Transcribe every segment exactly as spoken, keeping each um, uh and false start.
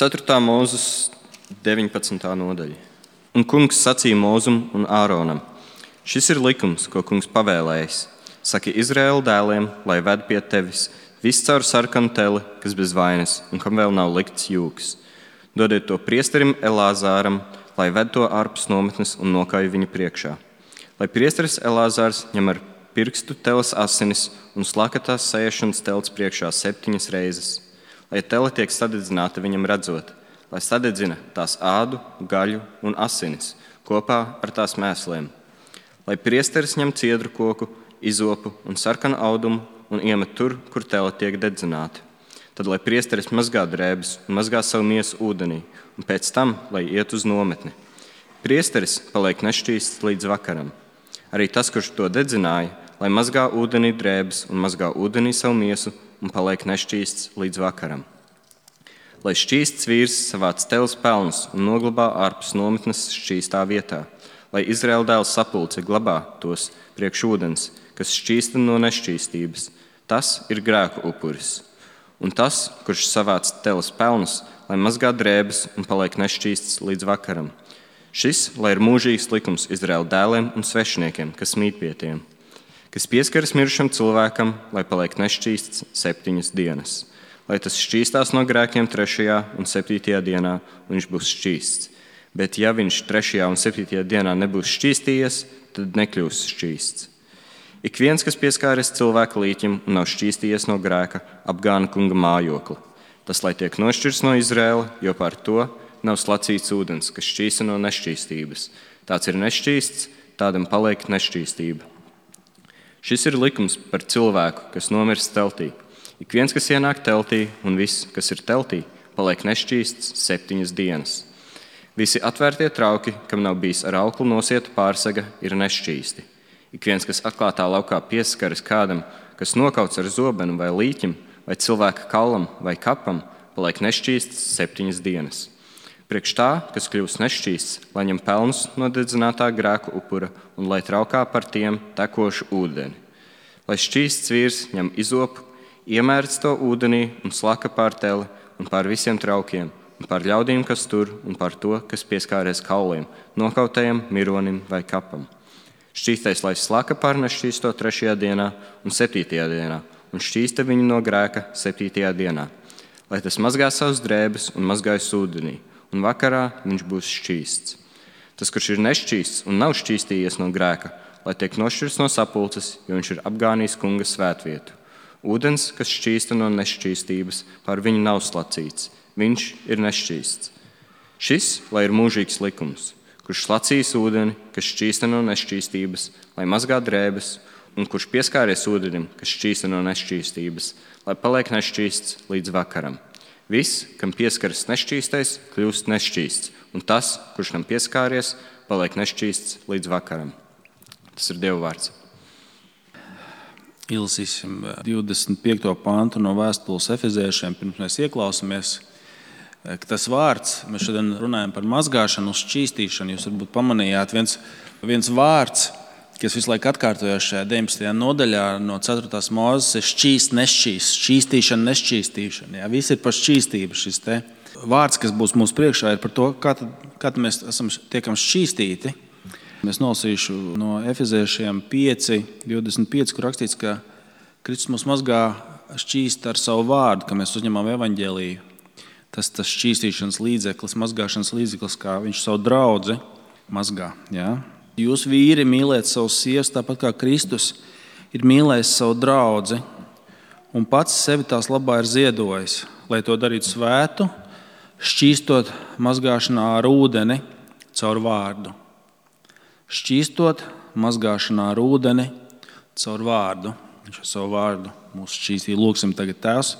ceturtā mūzes deviņpadsmitā nodaļa. Un kungs sacīja Mūzum un Āronam: šis ir likums, ko kungs pavēlējis. Saki Izraēla dēliem, lai ved pie tevis viss caur sarkanu teli, kas bez vainas, un kam vēl nav likts jūks. Dodiet to priesterim Elāzāram, lai ved to ārpus nometnes un nokauj viņu priekšā. Lai priesteris Elāzārs ņem ar pirkstu teles asinis un slaka tās sēšanas telts priekšā septiņas reizes. Lai tele tiek sadedzināta viņam redzot, lai sadedzina tās ādu, gaļu un asinis kopā ar tās mēsliem. Lai priesteris ņem ciedru koku, izopu un sarkanu audumu un iemet tur, kur tele tiek dedzināta. Tad, lai priesteris mazgā drēbes un mazgā savu miesu ūdenī, un pēc tam, lai iet uz nometni. Priesteris paliek nešķīsts līdz vakaram. Arī tas, kurš to dedzināja, lai mazgā ūdenī drēbes un mazgā ūdenī savu miesu un paliek nešķīsts līdz vakaram. Lai šķīsts vīrs savāc teles pelnus un noglabā ārpus nometnes šķīstā vietā, lai Izraēla dēls sapulce glabā tos priekš ūdens, kas šķīsta no nešķīstības. Tas ir grēku upuris. Un tas, kurš savāc teles pelnus, lai mazgā drēbes un paliek nešķīsts līdz vakaram. Šis, lai ir mūžīgs likums Izraēla dēliem un svešiniekiem, kas mīt pie tiem, kas pieskaras mirušam cilvēkam, lai paliek nešķīsts septiņas dienas. Lai tas šķīstās no grēkiem trešajā un septītajā dienā, un viņš būs šķīsts. Bet ja viņš trešajā un septītajā dienā nebūs šķīstījies, tad nekļūs šķīsts. Ik viens, kas pieskāries cilvēka līķim un nav šķīstījies no grēka, apgāna kunga mājokli. Tas, lai tiek nošķirts no Izraēla, jo par to nav slacīts ūdens, kas šķīsta no nešķīstības. Tāds ir nešķīsts, tādam paliek nešķīstība. Šis ir likums par cilvēku, kas nomirst teltī. Ik viens, kas ienāk teltī, un viss, kas ir teltī, paliek nešķīsts septiņas dienas. Visi atvērtie trauki, kam nav bijis ar auklu nosieta pārsega, ir nešķīsti. Ik viens, kas atklātā laukā pieskaras kādam, kas nokauts ar zobenu vai līķim, vai cilvēka kaulam vai kapam, paliek nešķīsts septiņas dienas. Priekš tā, kas kļūst nešķīsts, lai ņem pelnus no dedzinātā grēku upura un lai traukā par tiem tekošu ūdeni. Lai šķīsts vīrs ņem izopu, iemērc to ūdenī un slaka pār teli un pār visiem traukiem, un pār ļaudīm, kas tur, un pār to, kas pieskāries kauliem, nokautajam, mironim vai kapam. Šķīstais, lai slaka pār nešķīsto trešajā dienā un septītajā dienā, un šķīsta viņu no grēka septītajā dienā. Lai tas mazgā savas drēbes un mazgājas ūdenī, un vakarā viņš būs šķīsts. Tas, kurš ir nešķīsts un nav šķīstījies no grēka, lai tiek nošķirts no sapulces, jo viņš ir apgānījis kunga svētvietu. Ūdens, kas šķīsta no nešķīstības, pār viņu nav slacīts. Viņš ir nešķīsts. Šis, lai ir mūžīgs likums, kurš slacīs ūdeni, kas šķīsta no nešķīstības, lai mazgā drēbes, un kurš pieskāries ūdenim, kas šķīsta no nešķīstības, lai paliek nešķīsts līdz vakaram. Viss, kam pieskaras nešķīstais, kļūst nešķīsts, un tas, kurš tam pieskāries, paliek nešķīsts līdz vakaram. Tas ir Dieva vārds. Izlasīsim divdesmit piekto pantu no vēstules Efeziešiem, pirms mēs ieklausāmies. Tas vārds, mēs šodien runājam par mazgāšanu, uz šķīstīšanu. Jūs varbūt pamanījāt viens, viens vārds, kas visu laiku atkārtojās šajā deviņpadsmitajā nodaļā no ceturtās mūzes, ir šķīst, nešķīst, šķīstīšana, nešķīstīšana. Jā, viss ir par šķīstību. Šis te vārds, kas būs mūsu priekšā, ir par to, kā tad, kā tad mēs esam, tiekam šķīstīti. Es nolasīšu no Efeziešiem pieci, divdesmit pieci, kur rakstīts, ka Kristus mūs mazgā šķīst ar savu vārdu, ka mēs uzņemam evaņģēliju. Tas tas šķīstīšanas līdzeklis, mazgāšanas līdzeklis, kā viņš savu draudzi mazgā. Jā. Jūs vīri mīliet savus sievas, tāpat kā Kristus ir mīlējis savu draudzi un pats sevi tās labā ir ziedojis, lai to darītu svētu, šķīstot mazgāšanā ar ūdeni caur vārdu. Šķīstot mazgāšanā ar ūdeni caur vārdu. Viņš ar savu vārdu mūs šķīstīja. Lūksim tagad, Tēvs,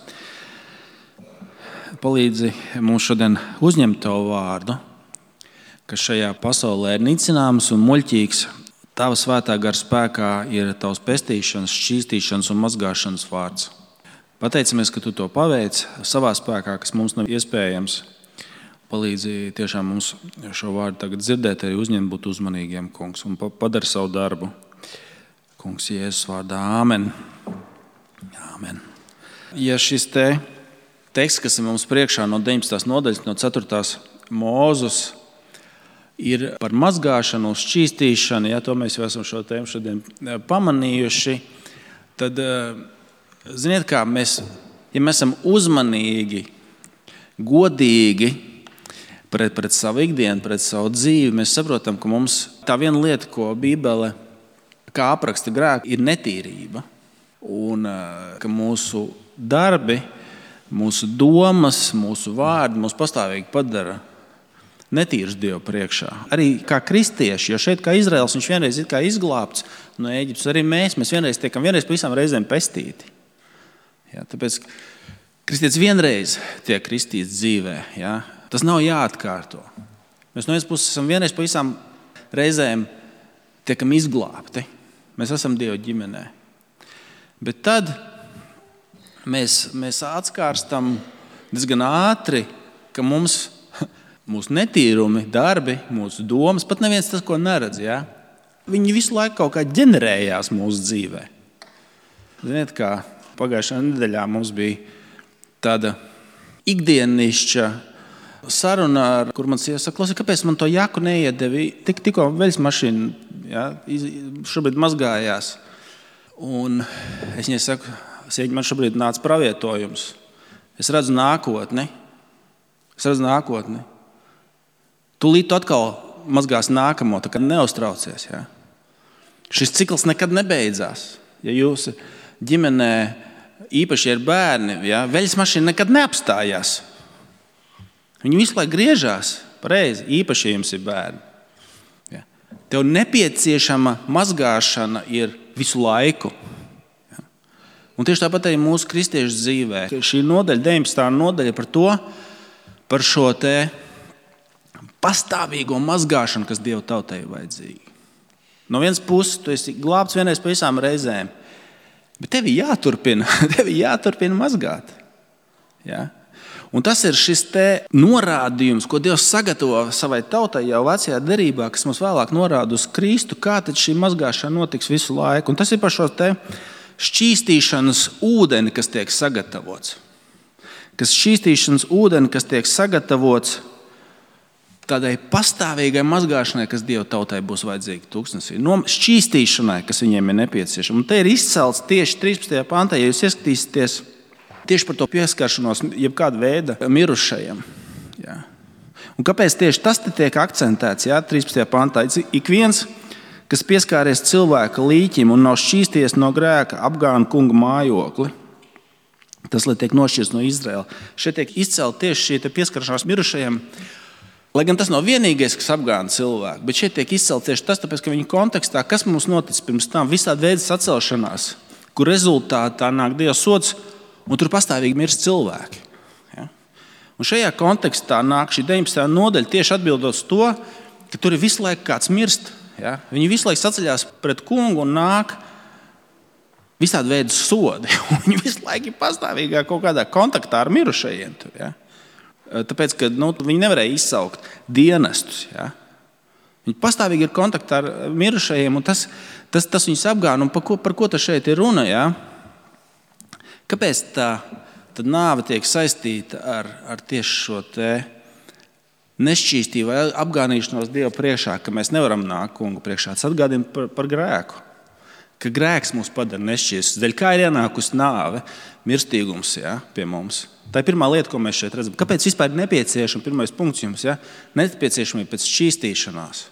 palīdzi mums šodien uzņemt Tavu vārdu, kas šajā pasaulē ir nicināms un muļķīgs. Tava svētā gara spēkā ir Tavs pestīšanas, šķīstīšanas un mazgāšanas vārds. Pateicamies, ka Tu to paveic savā spēkā, kas mums nav iespējams. Palīdzi tiešām mums šo vārdu tagad dzirdēt, arī uzņemt, būt uzmanīgiem, kungs, un padari savu darbu. Kungs, Jēzus vārdā, āmen. Āmen. Ja šis te teksts, kas ir mums priekšā no deviņpadsmitās nodaļas, no ceturtās Mūzes, ir par mazgāšanu, šķīstīšanu. Ja, to mēs jau esam šo tēmu šodien pamanījuši. Tad, ziniet kā, mēs, ja mēs esam uzmanīgi, godīgi pret, pret savu ikdienu, pret savu dzīvi, mēs saprotam, ka mums tā viena lieta, ko Bībele kā apraksta grēku, ir netīrība. Un ka mūsu darbi, mūsu domas, mūsu vārdi mūs pastāvīgi padara netīrus Dievu priekšā. Arī kā kristieši, jo šeit kā Izraels, viņš vienreiz ir kā izglābts no Ēģiptes, arī mēs, mēs vienreiz tiekam vienreiz pa visām reizēm pestīti. Ja, tāpēc kristietis vienreiz tiek kristīts dzīvē. Ja, tas nav jāatkārto. Mēs no vienas puses esam vienreiz pa visām reizēm tiekam izglābti. Mēs esam Dieva ģimenē. Bet tad mēs, mēs atskārstam diezgan ātri, ka mums, mūsu netīrumi, darbi, mūsu domas, pat neviens tas, ko neredz, ja? Viņi visu laiku kaut kā ģenerējās mūsu dzīvē. Ziniet, kā pagājušajā nedēļā mums bija tāda ikdienišķa saruna, kur man sieva saka, klausies, kāpēc man to jaku neiedevi? Tik, tikko veļas mašīna, ja, šobrīd mazgājās. Un es viņai saku, sieviņ, man šobrīd nāca pravietojums. Es redzu nākotni. Es redzu nākotni. Tūlīt tu atkal mazgās nākamo, tā kā neuztraucies. Ja? Šis cikls nekad nebeidzās. Ja jūs ģimenē īpaši ir bērni, ja, veļas mašīna nekad neapstājās. Viņi visu laiku griežās pareizi, īpaši, ja jums ir bērni. Ja. Tev nepieciešama mazgāšana ir visu laiku. Ja. Un tieši tāpat arī mūsu kristiešu dzīvē. Šī nodaļa, deviņpadsmitā nodaļa par to, par šo te pastāvīgo mazgāšanu, kas Dieva tautai ir vajadzīga. No vienas puses, tu esi glābts vienreiz pa visām reizēm, bet tev ir jāturpina, tev ir jāturpina mazgāt. Ja? Un tas ir šis te norādījums, ko Dievs sagatavo savai tautai jau vecajā derībā, kas mums vēlāk norāda uz Kristu, kā tad šī mazgāšana notiks visu laiku. Un tas ir par šo te šķīstīšanas ūdeni, kas tiek sagatavots. Kas šķīstīšanas ūdeni, kas tiek sagatavots tādai pastāvīgai mazgāšanai, kas Dieva tautai būs vajadzīga tūkstnesī. No šķīstīšanai, kas viņiem ir nepieciešama. Un te ir izcelts tieši trīspadsmitajā pantā, ja jūs ieskatīsieties tieši par to pieskaršanos jebkāda veida mirušajiem. Jā. Un kāpēc tieši tas te tiek akcentēts? Jā, trīspadsmitajā pantā. Ik viens, kas pieskāries cilvēka līķim un nav šķīsties no grēka, apgāna kunga mājokli. Tas, lai tiek nošķirts no Izraēla. Šeit tiek izcelt tieši šī pieskaršanās mirušajiem. Lai gan tas nav vienīgais, kas apgāna cilvēku, bet šeit tiek izcelt tieši tas, tāpēc, ka viņa kontekstā, kas mums noticis pirms tam, visādi veidi sacelšanās, kur rezultātā nāk Dieva sods, un tur pastāvīgi mirst cilvēki. Ja? Un šajā kontekstā nāk šī deviņpadsmitā nodaļa tieši atbildot uz to, ka tur ir visu laiku kāds mirst. Ja? Viņi visu laiku saceļās pret kungu un nāk visādi veidi sodi. Viņi visu laiku ir pastāvīgā kaut kādā kontaktā ar mirušajiem. Tur, ja? Tāpēc, ka nu, viņi nevarēja izsaukt dienestus. Ja? Viņi pastāvīgi ir kontaktā ar mirušajiem, un tas, tas, tas viņus apgāna. Un par ko, par ko tas šeit ir runa? Ja? Kāpēc tā tad nāve tiek saistīta ar, ar tieši šo te nešķīstību vai apgānīšanos Dieva priekšā, ka mēs nevaram nākt kungu priekšā? Tas atgādina par, par grēku. Ka grēks mūs padara nešķīstus. Dēļ kā ir ienākusi nāve, mirstīgums, ja, pie mums. Tā ir pirmā lieta, ko mēs šeit redzam. Kāpēc vispār ir nepieciešama, pirmais punkts jums, ja? Nepieciešamība pēc šķīstīšanās.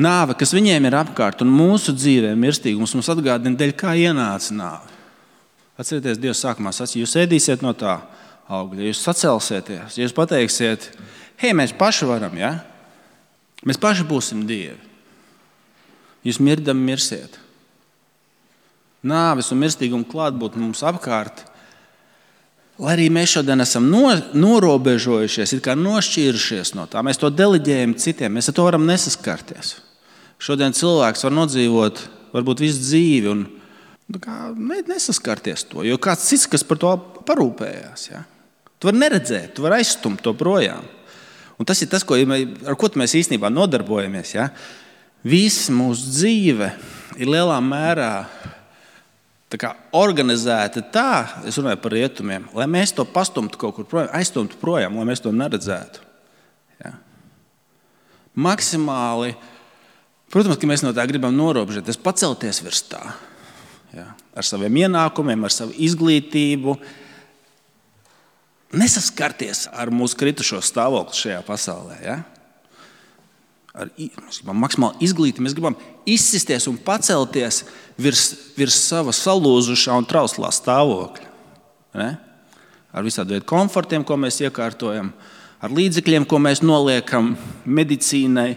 Nāve, kas viņiem ir apkārt un mūsu dzīvē mirstīgums, mums atgādina, dēļ kā ienāca nāve. Atcerieties, Dievs sākumā sacīja, jūs ēdīsiet no tā augļa, jūs sacelsieties, jūs pateiksiet, hei, mēs paši varam, ja? Mēs paši būsim Dievi. Jūs mirdam mirsiet. Nāves un mirstīguma klātbūt mums apkārt, lai arī mēs šodien esam no, norobežojušies, it kā nošķīrušies no tā, mēs to deleģējam citiem, mēs ar to varam nesaskarties. Šodien cilvēks var nodzīvot varbūt visu dzīvi un kā, nesaskarties to, jo kāds cits, kas par to parūpējās. Ja? Tu vari neredzēt, tu vari aizstumt to projām. Un tas ir tas, ko, ar ko mēs īstenībā nodarbojamies. Ja? Visa mūsu dzīve ir lielā mērā tā kā organizēti tā, es runāju par rietumiem, lai mēs to pastumtu kaut kur projām, aizstumtu projām, lai mēs to neredzētu. Ja? Maksimāli, protams, ka mēs no tā gribam norobežoties, pacelties virs tā. Ja? Ar saviem ienākumiem, ar savu izglītību, nesaskarties ar mūsu kritušo stāvokli šajā pasaulē. Ja? Ar, mēs gribam maksimāli izglīti, mēs gribam izsisties un pacelties virs, virs sava salūzušā un trauslā stāvokļa. Ne? Ar visādu veidu komfortiem, ko mēs iekārtojam, ar līdzekļiem, ko mēs noliekam medicīnai,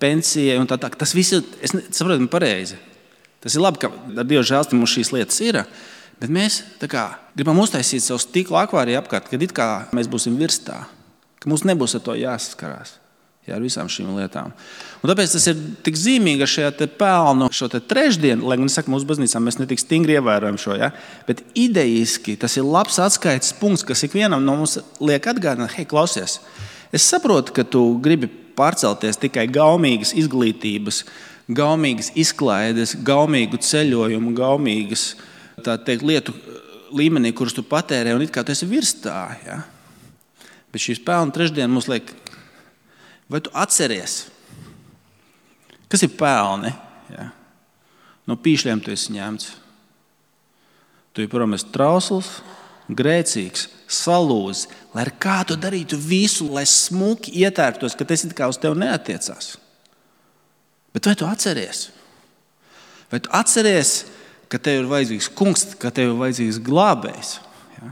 pensijai un tā tā. Tas viss ir, es saprotu, pareizi. Tas ir labi, ka ar Dieva žēlstību mums šīs lietas ir, bet mēs tā kā gribam uztaisīt savu stikla akvāriju apkārt, kad it kā mēs būsim virs tā, ka mums nebūs ar to jāsaskarās. Jā, ar visām šīm lietām. Un tāpēc tas ir tik zīmīgi ar šajā te pelnu, šo te trešdienu, lai gan es saku, mūsu baznīcā mēs ne tik stingri ievērojam šo, ja? Bet idejiski tas ir labs atskaites punkts, kas ikvienam no mums liek atgādināt, hei, klausies, es saprotu, ka tu gribi pārcelties tikai gaumīgas izglītības, gaumīgas izklaides, gaumīgu ceļojumu, gaumīgas tā teikt, lietu līmenī, kurus tu patērē, un it kā tu esi virs tā. Ja? Bet šīs pelnu trešdiena mums liek, vai tu atceries, kas ir pelni? Ja? No pīšļiem tu esi ņemts. Tu joprojām esi trausls, grēcīgs, salūzis, lai ar kā tu darītu visu, lai smuki ietērptos, ka tas it kā uz tevi neatiecās. Bet vai tu atceries? Vai tu atceries, ka tev ir vajadzīgs kungs, ka tev ir vajadzīgs glābējs? Ja?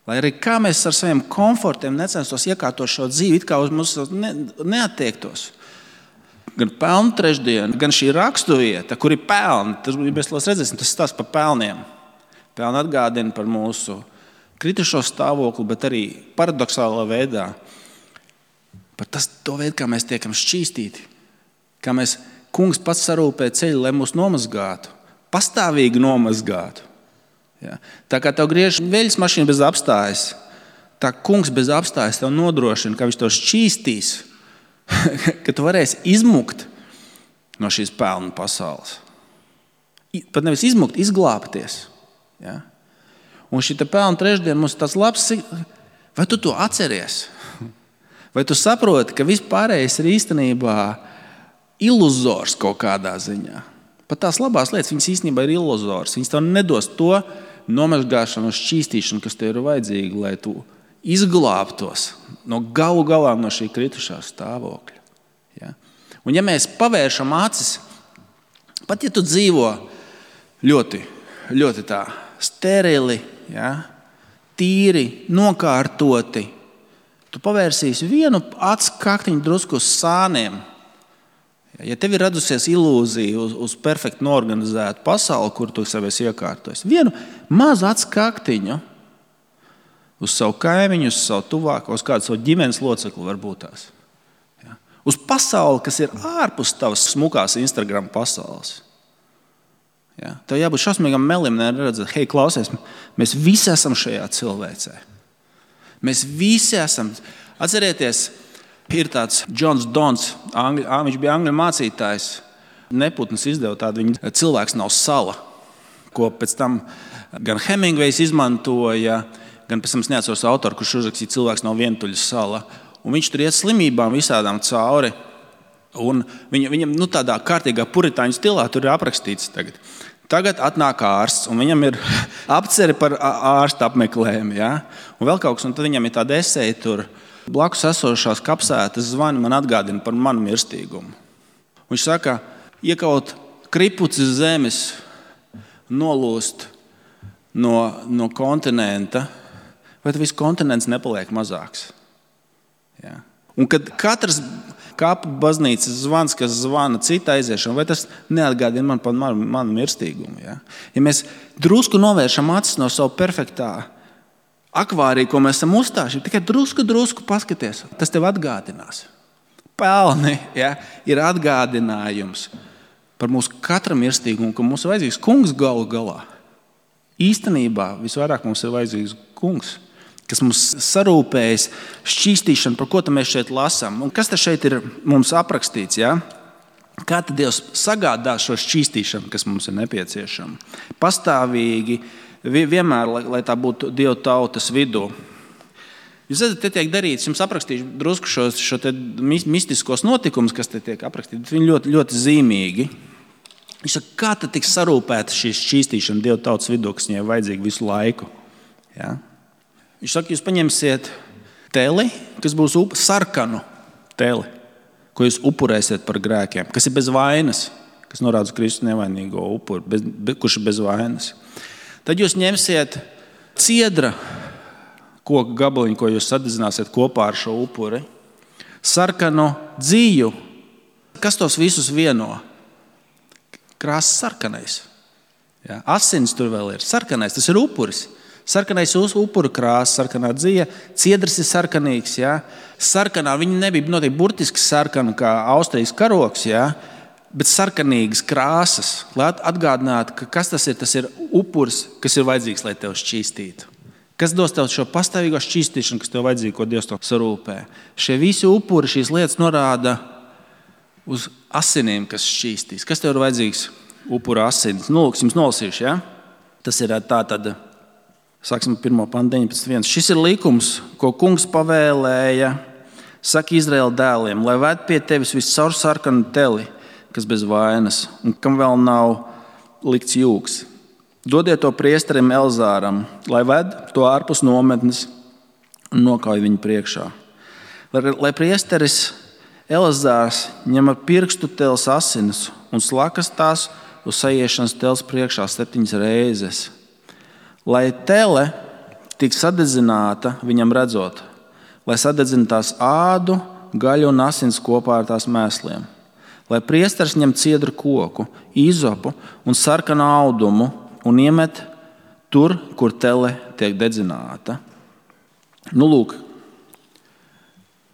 Lai arī kā mēs ar saviem komfortiem necenstos iekārtot šo dzīvi, it kā uz mums ne, neattiektos. Gan pelnu trešdiena, gan šī rakstuvieta, kur ir pelni, tas, mēs redzēsim, tas stāsts par pelniem. Pelni atgādina par mūsu kritušo stāvokli, bet arī paradoxālā veidā par tas, to veidu, kā mēs tiekam šķīstīti. Kā mēs, kungs pats sarūpē ceļu, lai mūs nomazgātu, pastāvīgi nomazgātu. Ja? Tā kā tev griež veļas mašīna bez apstājas, tā kungs bez apstājas tev nodrošina, ka viņš to šķīstīs, ka tu varēsi izmukt no šīs pelnu pasaules. Pat nevis izmukt, izglābties. Ja? Un šī pelnu trešdiena mums ir tāds labs, vai tu to atceries? Vai tu saproti, ka viss pārējais ir īstenībā iluzors kaut kādā ziņā? Pat tās labās lietas, viņas īstenībā ir iluzors. Viņas tev nedos to nomazgāšanu un šķīstīšanu, kas tev ir vajadzīga, lai tu izglābtos no galu galā no šī kritušā stāvokļa. Ja? Un ja mēs pavēršam acis, pat ja tu dzīvo ļoti, ļoti tā sterili, ja? Tīri, nokārtoti, tu pavērsīsi vienu acu kaktiņu drusku uz sāniem. Ja tev ir radusies ilūzija uz, uz perfekti norganizētu pasauli, kur tu sev esi iekārtojis, vienu mazu acu kaktiņu uz savu kaimiņu, uz savu tuvāko, uz kādu savu ģimenes locekli varbūt tās. Ja? Uz pasauli, kas ir ārpus tavas smukās Instagram pasaules. Ja? Tev jābūt šausmīgam melim, neredzēt, hei, klausies, mēs visi esam šajā cilvēcē. Mēs visi esam. Atcerieties, ir tāds Džons Dons, angļu, viņš bija angļu mācītājs. Neputns izdeva tādu viņa cilvēks nav sala, ko pēc tam gan Hemingvejs izmantoja, gan pēc tam es neatceros autoru, kurš uzrakstīja cilvēks nav vientuļa sala. Un viņš tur iet slimībām visādām cauri. Un viņa, viņam nu, tādā kārtīgā puritāņu stilā tur ir aprakstīts tagad. Tagad atnāk ārsts, un viņam ir apceri par ārsta apmeklējumu. Ja? Un vēl kaut kas, un tad viņam ir tāda eseja tur. Blakus esošās kapsētas zvani man atgādina par manu mirstīgumu. Viņš saka, iekaut kripuci zemes, nolūst no, no kontinenta, vai tad viss kontinents nepaliek mazāks. Ja? Un kad katrs kapu baznīcas zvans, kas zvana cita aiziešana, vai tas neatgādina man par manu, manu mirstīgumu. Ja? Ja mēs drusku novēršam acis no savu perfektā akvāriju, ko mēs esam uzstājuši, tikai drusku, drusku paskaties, tas tev atgādinās. Pelni, ja, ir atgādinājums par mūsu katra mirstīgumu, ka mums ir vajadzīgs kungs galu galā. Īstenībā visvairāk mums ir vajadzīgs kungs, kas mums sarūpējas šķīstīšanu, par ko mēs šeit lasām. Un kas te šeit ir mums aprakstīts? Ja? Kā tad Dievs sagādā šo šķīstīšanu, kas mums ir nepieciešama? Pastāvīgi, vienmēr, lai, lai tā būtu Dieva tautas vidū. Jūs redzat, te tiek darīts, jums aprakstīšu drusku šos šo te mistiskos notikumus, kas te tiek aprakstīti, bet viņi ļoti, ļoti zīmīgi. Viņš saka, kā tad tiks sarūpēta šī šķīstīšana Dieva tautas vidū, kas viņai vajadzīga visu laiku? Ja? Viņš saka, jūs paņemsiet teli, kas būs up, sarkanu teli, ko jūs upurēsiet par grēkiem, kas ir bez vainas, kas norāda uz Kristus nevainīgo upuru, bez, be, kurš ir bez vainas. Tad jūs ņemsiet ciedra koku gabaliņu, ko jūs sadedzināsiet kopā ar šo upuri, sarkanu dzīju. Kas tos visus vieno? Krāsas sarkanais. Ja? Asins tur vēl ir. Sarkanais, tas ir upuris. Sarkanais upuru krāsa, sarkanā dzija, ciedrs ir sarkanīgs. Ja? Sarkanā viņa nebija noteikti burtiski sarkana kā Austrijas karoks, ja? Bet sarkanīgas krāsas, lai atgādinātu, ka kas tas ir, tas ir upuris, kas ir vajadzīgs, lai tev šķīstītu. Kas dos tev šo pastāvīgo šķīstīšanu, kas tev vajadzīga, ko Dievs tev sarūpē. Šie visi upuri, šīs lietas norāda uz asinīm, kas šķīstīs. Kas tev ir vajadzīgs? Upura asinis. Nu, lūk, jums nolasīšu, ja? Tas ir tā tad, sāksim pirmā panta deviņpadsmit viens. Šis ir likums, ko kungs pavēlēja, saka Izraēla dēliem, lai ved pie tevis viscaur sarkanu teli, kas bez vainas, un kam vēl nav likts jūks. Dodiet to priesterim Elzāram, lai ved to ārpus nometnes un nokauj viņu priekšā. Lai, lai priesteris Elzārs ņem ar pirkstu teles asinis un slakas tās uz sajiešanas teles priekšā septiņas reizes. Lai tele tik sadedzināta viņam redzot, lai sadedzina tās ādu, gaļu un asins kopā ar tās mēsliem. Lai priesteris ņem ciedru koku, izopu un sarkanu audumu un iemet tur, kur tele tiek dedzināta. Nu, lūk,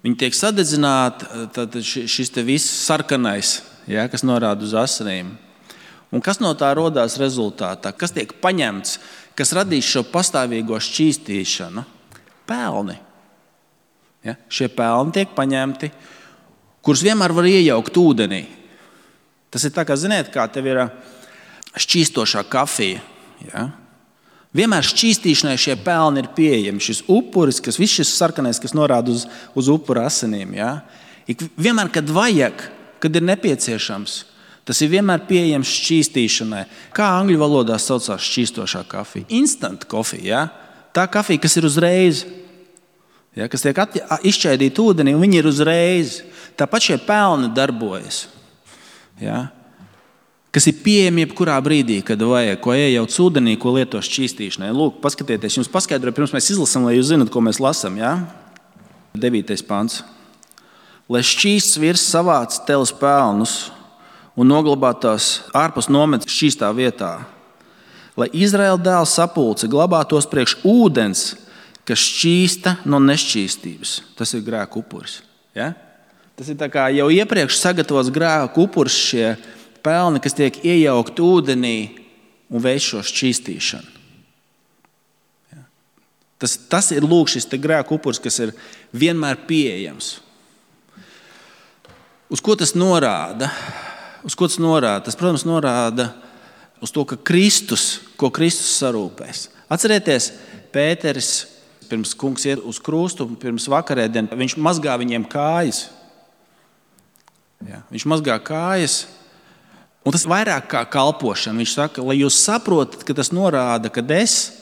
viņi tiek sadedzināti, tad šis te viss sarkanais, ja, kas norāda uz asinīm. Un kas no tā rodās rezultātā? Kas tiek paņemts, kas radīs šo pastāvīgo šķīstīšanu? Pelni. Ja, šie pelni tiek paņemti, kurus vienmēr var iejaukt ūdenī. Tas ir tā, kā ziniet, kā tev ir šķīstošā kafija. Ja? Vienmēr šķīstīšanai šie pelni ir pieejami. Šis upuris, kas viss šis sarkanais, kas norāda uz, uz upura asinīm. Ja? Ik vienmēr, kad vajag, kad ir nepieciešams, tas ir vienmēr pieejams šķīstīšanai. Kā angļu valodā saucās šķīstošā kafija? Instant coffee. Ja? Tā kafija, kas ir uzreiz, ja? Kas tiek izšķaidīta ūdenī, un viņi ir uzreiz. Tāpat šie pelni darbojas. Ja? Kas ir pieejami jebkurā brīdī, kad vajag, ko iejauc ūdenī, ko lieto šķīstīšanai. Lūk, paskatieties, jums paskaidroju, pirms mēs izlasam, lai jūs zinat, ko mēs lasam. Ja? devītais pants. Lai šķīsts virs savāc teles pelnus un noglabātās ārpus nometnes šķīstā vietā. Lai Izraēla dēla sapulce glabātos priekš ūdens, kas šķīsta no nešķīstības. Tas ir grēku upuris. Ja? Tas ir tā kā jau iepriekš sagatavots grēku upuris, šie pelni, kas tiek iejaukt ūdenī un veic šo šķīstīšanu. Ja. Tas, tas ir lūk šis te grēku upuris, kas ir vienmēr pieejams. Uz ko tas norāda? Uz ko tas norāda? Tas, protams, norāda uz to, ka Kristus, ko Kristus sarūpēs. Atcerieties, Pēteris, pirms kungs iet uz krustu, pirms vakarēdien, viņš mazgā viņiem kājas. Ja. Viņš mazgā kājas. Un tas vairāk kā kalpošana. Viņš saka, lai jūs saprotat, ka tas norāda, ka es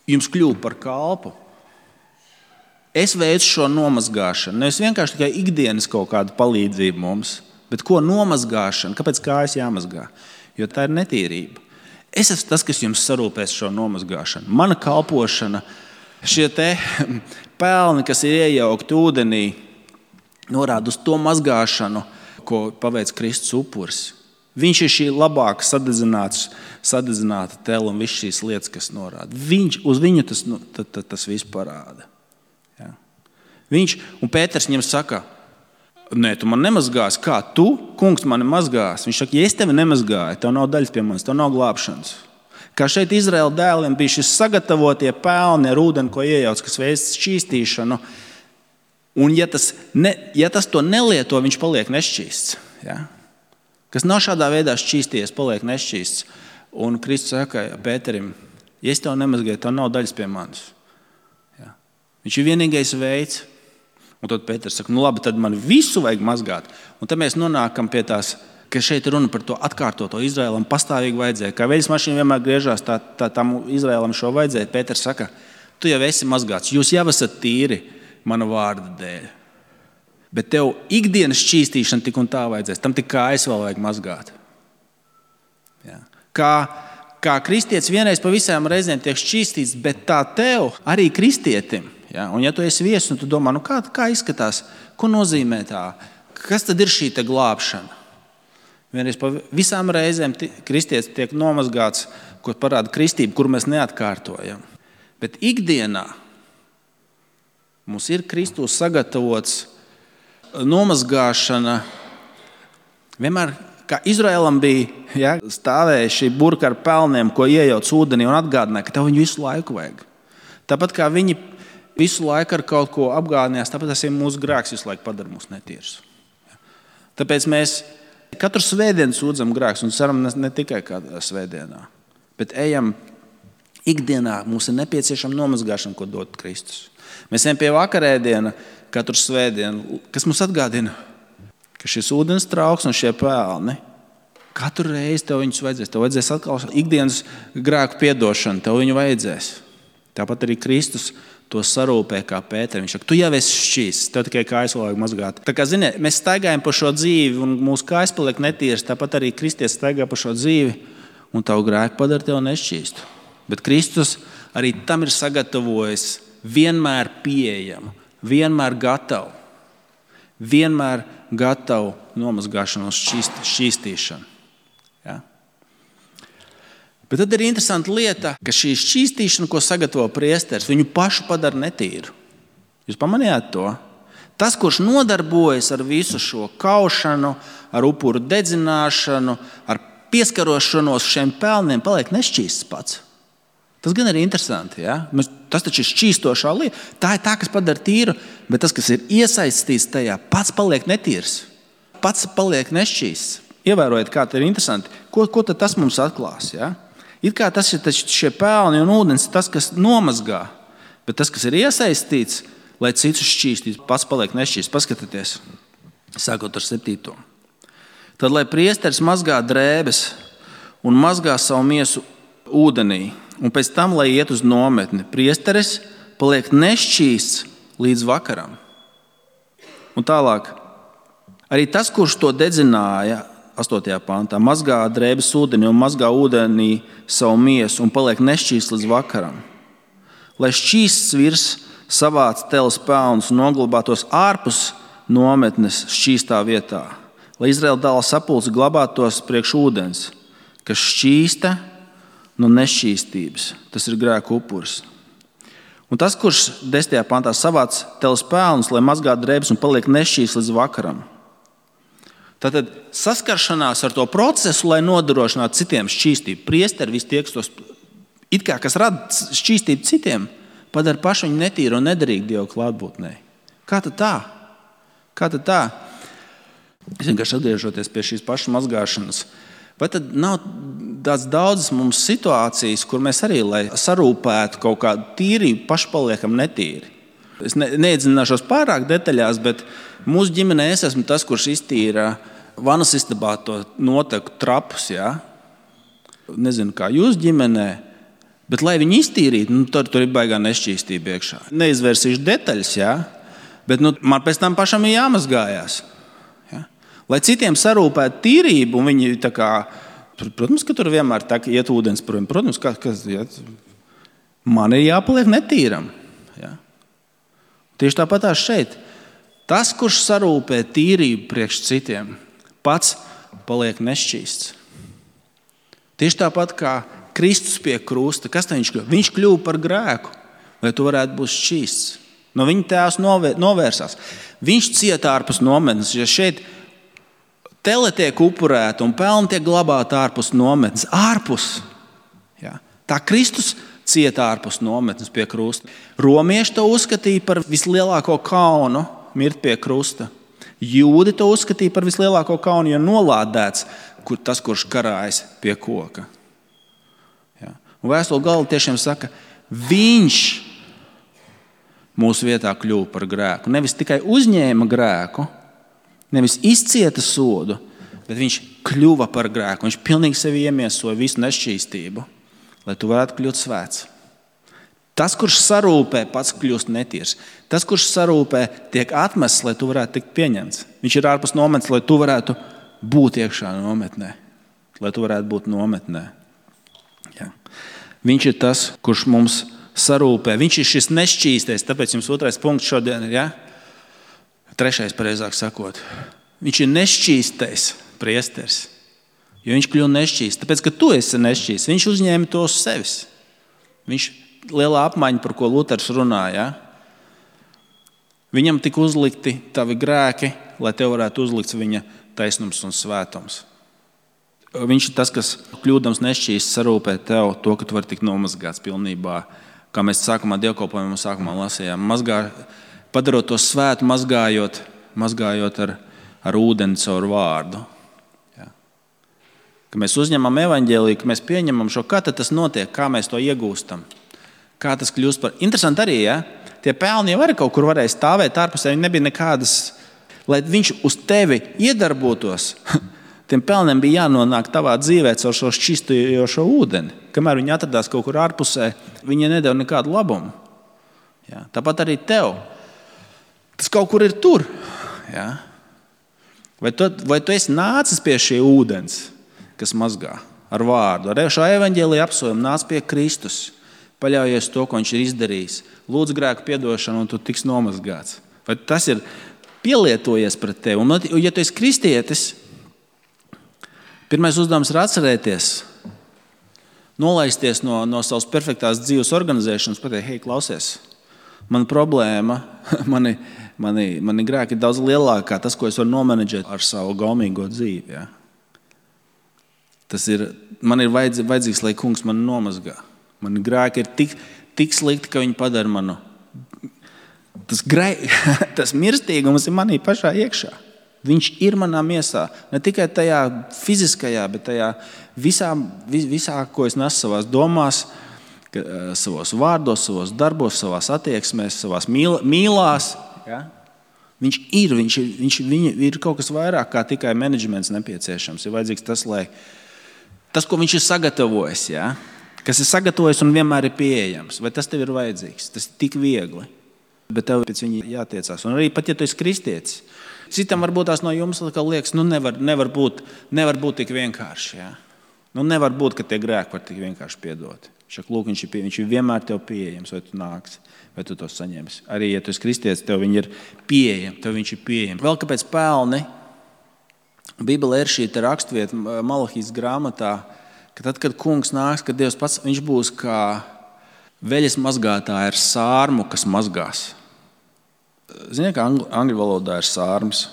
jums kļuvu par kalpu. Es veicu šo nomazgāšanu. Nevis vienkārši tikai ikdienas kaut kādu palīdzību mums, bet ko nomazgāšana? Kāpēc kājas jāmazgā? Jo tā ir netīrība. Es esmu tas, kas jums sarūpēs šo nomazgāšanu. Mana kalpošana, šie te pelni, kas ir iejaukti ūdenī, norāda uz to mazgāšanu, ko paveic Kristus upuris. Viņš ir šī labāk sadedzināta tela un viss šīs lietas, kas norāda. Viņš, uz viņu tas, nu, tas, tas, tas viss parāda. Ja. Viņš, un Pēters viņam saka, nē, tu man nemazgāsi, kā tu, kungs, mani mazgās. Viņš saka, ja es tevi nemazgāju, tev nav daļas pie manis, tev nav glābšanas. Kā šeit Izraēla dēliem bija šis sagatavotie pelni ar ūdeni, ko iejauc, kas veic šķīstīšanu. Un ja tas, ne, ja tas to nelieto, viņš paliek nešķīsts. Ja. kas nav šādā veidā šķīsties, paliek nešķīsts. Un Kristus saka Pēterim, ja es tev nemazgāju, tev nav daļas pie manis. Ja. Viņš ir vienīgais veids. Un tad Pēters saka, nu labi, tad man visu vajag mazgāt. Un tad mēs nonākam pie tās, ka šeit runa par to atkārtoto Izraēlam pastāvīgi vajadzēja. Kā veļas mašīna vienmēr griežās, tā, tā tam Izraēlam šo vajadzēja. Pēters saka, tu jau esi mazgāts, jūs jau esat tīri mana vārda dēļ. Bet tev ikdienas šķīstīšana tik un tā vajadzēs. Tam tik kājas vēl vajag mazgāt. Ja. Kā, kā kristietis vienreiz pa visām reizēm tiek šķīstīts, bet tā tev arī kristietim. Ja? Un ja tu esi viesis, un tu domā, nu kā, kā izskatās, ko nozīmē tā, kas tad ir šī te glābšana? Vienreiz pa visām reizēm kristietis tiek nomazgāts, ko parāda kristība, kur mēs neatkārtojam. Bet ikdienā mums ir Kristus sagatavots nomazgāšana. Vienmēr, kā Izraēlam bija, ja, stāvēja šī burka ar pelniem, ko iejauc ūdenī un atgādināja, ka tev viņu visu laiku vajag. Tāpat kā viņi visu laiku ar kaut ko apgādinājās, tāpat tas ir mūsu grēks, visu laiku padara mūs netīrus. Tāpēc mēs katru svētdienu sūdzam grēks un ceram ne, ne tikai kādā svētdienā, bet ejam ikdienā. Mums ir nepieciešama nomazgāšana, ko dod Kristus. Mēs ejam pie vakarēdiena katru svētdienu, kas mums atgādina, ka šis ūdens trauks un šie pelni, katru reizi tev viņus vajadzēs. Tev vajadzēs atkal ikdienas grēku piedošanu, tev viņu vajadzēs. Tāpat arī Kristus to sarūpē kā Pēterim. Viņš saka, tu jau esi šķīsts, tev tikai kājas vēl vajag mazgāt. Tā kā, ziniet, mēs staigājam pa šo dzīvi un mūsu kājas paliek netīras, tāpat arī Kristies staigā pa šo dzīvi un tavu grēku padara tev nešķīstu. Bet Kristus arī tam ir sagatavojis vienmēr pieejamu, vienmēr gatavu, vienmēr gatavu nomazgāšanu un šķīstīšanu. Ja? Bet tad ir interesanta lieta, ka šī šķīstīšana, ko sagatavo priesteris, viņu pašu padara netīru. Jūs pamanījāt to? Tas, kurš nodarbojas ar visu šo kaušanu, ar upuru dedzināšanu, ar pieskarošanos šiem pelniem, paliek nešķīsts pats. Tas gan ir interesanti. Ja? Tas taču ir šķīstošā lieta. Tā ir tā, kas padara tīru, bet tas, kas ir iesaistīts tajā, pats paliek netīrs. Pats paliek nešķīsts. Ievērojiet, kā tas ir interesanti. Ko, ko tad tas mums atklās? Ja? It kā tas ir šie pelni un ūdens, tas, kas nomazgā, bet tas, kas ir iesaistīts, lai citus šķīstītu, pats paliek nešķīsts. Paskatieties, sākot ar septīto. Tad, lai priesteris mazgā drēbes un mazgā savu miesu ūdenī, un pēc tam, lai iet uz nometni, priesteris paliek nešķīsts līdz vakaram. Un tālāk, arī tas, kurš to dedzināja, astotajā pantā, mazgā drēbes ūdeni un mazgā ūdenī savu miesu un paliek nešķīsts līdz vakaram. Lai šķīsts virs savāc teles pelnus un noglabātos ārpus nometnes šķīstā vietā. Lai Izraēla dēla sapulce glabātos priekš ūdens, kas šķīsta no nešķīstības. Tas ir grēka upuris. Un tas, kurš desmitajā pantā savāc teles pelnus, lai mazgā drēbes un paliek nešķīsts līdz vakaram. Tātad saskaršanās ar to procesu, lai nodrošinātu citiem šķīstību. Priesteri, visi tie, kas, tos, it kā, kas rada šķīstību citiem, padara pašu viņu netīru un nedarīgu Dievu klātbūtnē. Kā tad tā? Kā tad tā? Es vienkārši atgriežoties pie šīs pašas mazgāšanas. Vai tad nav tāds daudzas mums situācijas, kur mēs arī, lai sarūpētu kaut kādu tīrību, paši paliekam netīri? Es ne, neiedzināšos pārāk detaļās, bet mūsu ģimenē es esmu tas, kurš iztīra vanas istabā to noteku trapus. Ja? Nezinu, kā jūs ģimenē, bet lai viņi iztīrītu, nu, tur, tur ir baigā nešķīstība iekšā. Neizvērsīšu detaļas, ja? Bet nu, man pēc tam pašam ir jāmazgājās. Ja? Lai citiem sarūpētu tīrību, un viņi tā kā, protams, ka tur vienmēr tā iet ūdens prom. Protams, ka kas, ja? Man ir jāpaliek netīram. Ja? Tieši tāpatās šeit. Tas, kurš sarūpē tīrību priekš citiem, pats paliek nešķīsts. Tieši tāpat kā Kristus pie krusta, kas tā viņš kļuva? Viņš kļuva par grēku, lai tu varētu būt šķīsts. No viņa tēvs novērsās. Viņš cieta ārpus nometnes. Ja šeit tele tiek upurēta un pelni tiek glabāti ārpus nometnes, ārpus. Ja? Tā Kristus cieta ārpus nometnes pie krusta. Romieši to uzskatīja par vislielāko kaunu mirt pie krusta. Jūdi to uzskatīja par vislielāko kaunu, jo nolādēts kur, tas, kurš karājas pie koka. Ja. Un vēstule Galatiešiem saka, viņš mūsu vietā kļuva par grēku. Nevis tikai uzņēma grēku, nevis izcieta sodu, bet viņš kļuva par grēku. Viņš pilnīgi sevi iemiesoja visu nešķīstību, lai tu varētu kļūt svēts. Tas, kurš sarūpē, pats kļūst netīrs. Tas, kurš sarūpē, tiek atmests, lai tu varētu tikt pieņemts. Viņš ir ārpus nometnes, lai tu varētu būt iekšā nometnē. Lai tu varētu būt nometnē. Ja. Viņš ir tas, kurš mums sarūpē. Viņš ir šis nešķīstais, tāpēc jums otrais punkts šodien ir, ja? Trešais, pareizāk sakot. Viņš ir nešķīstais priesteris, jo viņš kļuva nešķīsts. Tāpēc, ka tu esi nešķīsts, viņš uzņēma to uz sevis. Viņš lielā apmaiņa, par ko Luters runāja. Viņam tika uzlikti tavi grēki, lai tev varētu uzlikts viņa taisnums un svētums. Viņš ir tas, kas kļūdams nešķīsts sarūpē tev to, ka tu vari tikt nomazgāts pilnībā. Kā mēs sākumā dievkalpojumā sākumā lasījām. Mazgā, padarot to svētu, mazgājot, mazgājot ar, ar ūdeni caur vārdu. Ja. Ka mēs uzņemam evaņģēliju, ka mēs pieņemam šo, kā tad tas notiek, kā mēs to iegūstam. Kā tas kļūst par... Interesanti arī, ja? Tie pelni jau arī kaut kur varēja stāvēt ārpusē, viņi nebija nekādas, lai viņš uz tevi iedarbotos. Tiem pelniem bija jānonāk tavā dzīvē caur šo šķistojošo ūdeni. Kamēr viņi atradās kaut kur ārpusē, viņi nedeva nekādu labumu. Ja? Tāpat arī tev. Tas kaut kur ir tur. Ja? Vai, tu, vai tu esi nācis pie šī ūdens, kas mazgā ar vārdu? Ar šo evaņģēliju apsolījumu nāc pie Kristus. Paļaujies to, ko viņš ir izdarījis. Lūdz grēku piedošanu, un tu tiks nomazgāts. Vai tas ir pielietojies pret tevi? Un, ja tu esi kristietis, pirmais uzdevums ir atcerēties, nolaisties no, no savas perfektās dzīves organizēšanas, pateikt, hei, klausies, mana problēma, mani, mani, mani grēki ir daudz lielākā, tas, ko es varu nomenedžēt ar savu gaumīgo dzīvi. Ja? Tas ir, man ir vajadz, vajadzīgs, lai kungs mani nomazgā. Mani grēki ir tik, tik slikti, ka viņi padara manu. Tas, grē, tas mirstīgums ir manī pašā iekšā. Viņš ir manā miesā. Ne tikai tajā fiziskajā, bet tajā visā, visā ko es nesu savās domās, savos vārdos, savos darbos, savās attieksmēs, savās mīl, mīlās. Ja? Viņš ir, viņš ir, viņš, viņa ir kaut kas vairāk kā tikai menedžments nepieciešams. Ir vajadzīgs tas, lai tas, ko viņš ir sagatavojis, ja? Kas ir sagatavojis un vienmēr ir pieejams. Vai tas tev ir vajadzīgs? Tas ir tik viegli. Bet tev pēc viņa jātiecās. Un arī pat, ja tu esi kristietis, citam varbūt tās no jums liekas, nu nevar, nevar, būt, nevar būt tik vienkārši. Ja? Nu nevar būt, ka tie grēki var tik vienkārši piedot. Šak, lūk, viņš, ir pie, viņš ir vienmēr tev pieejams, vai tu nāksi, vai tu to saņemsi. Arī, ja tu esi kristietis, tev viņi ir pieejami, tev viņš ir pieejami. Vēl kāpēc pelni? Bībelē ir šī rakstvieta Malahijas grāmatā, ka tad, kad kungs nāks, kad Dievs pats, viņš būs kā veļas mazgātāja ar sārmu, kas mazgās. Ziniet, kā angļu, angļu valodā ir sārms?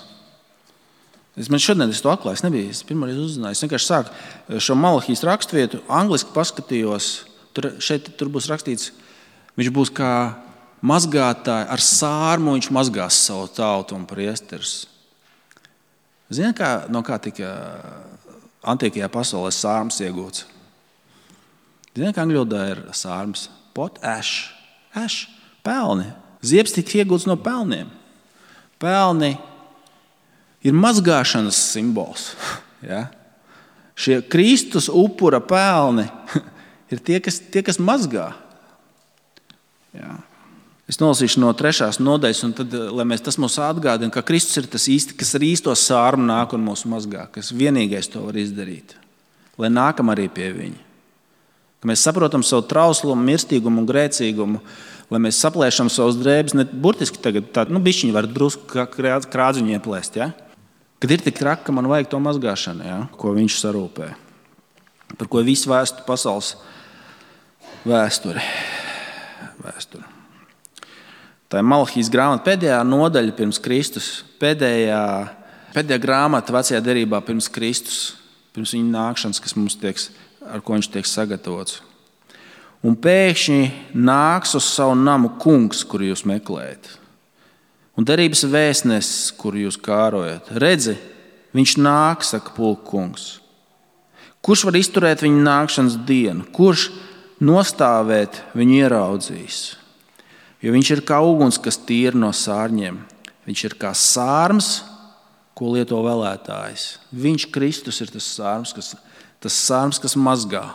Es man šodien es to atklāju, es nebiju, es pirmoreiz uzzināju. Es vienkārši sāku šo Malahijas rakstvietu, angliski paskatījos, tur, šeit tur būs rakstīts, viņš būs kā mazgātāja ar sārmu, viņš mazgās savu tautu un priesterus. Ziniet, kā, no kā tika antīkajā pasaulē sārms iegūts? Ziniet, kā angļu valodā ir sārms? Pot, ash, ash, pelni. Ziepes tika iegūts no pelniem. Pelni ir mazgāšanas simbols. Ja? Šie Kristus upura pelni ir tie, kas, tie, kas mazgā. Ja. Es nolasīšu no trešās nodaļas, un tad, lai mēs tas mūs atgādina, ka Kristus ir tas īsti, kas ar īsto sārmu nāk un mūs mazgā, kas vienīgais to var izdarīt. Lai nākam arī pie viņa. Ka mēs saprotam savu trauslumu, mirstīgumu un grēcīgumu, lai mēs saplēšam savus drēbes, ne burtiski tagad tā, nu bišķiņi var drusku krādziņu ieplēst, ja? Kad ir tik traki, ka man vajag to mazgāšanu, ja? Ko viņš sarūpē. Par ko visu vēstu pasaules vēsturi. vēsturi. Tā ir Malahijas grāmata pēdējā nodaļa pirms Kristus, pēdējā, pēdējā grāmata vecajā derībā pirms Kristus, pirms viņa nākšanas, kas mums tiek, ar ko viņš tiek sagatavots. Un pēkšņi nāks uz savu namu kungs, kuru jūs meklējat. Un derības vēstnesis, kuru jūs kārojat, redzi, viņš nāk, saka pulka kungs. Kurš var izturēt viņa nākšanas dienu? Kurš nostāvēt viņu ieraudzīs? Jo viņš ir kā uguns, kas tīra no sārņiem. Viņš ir kā sārms, ko lieto vēlētājs. Viņš, Kristus, ir tas sārms, kas, tas sārms, kas mazgā.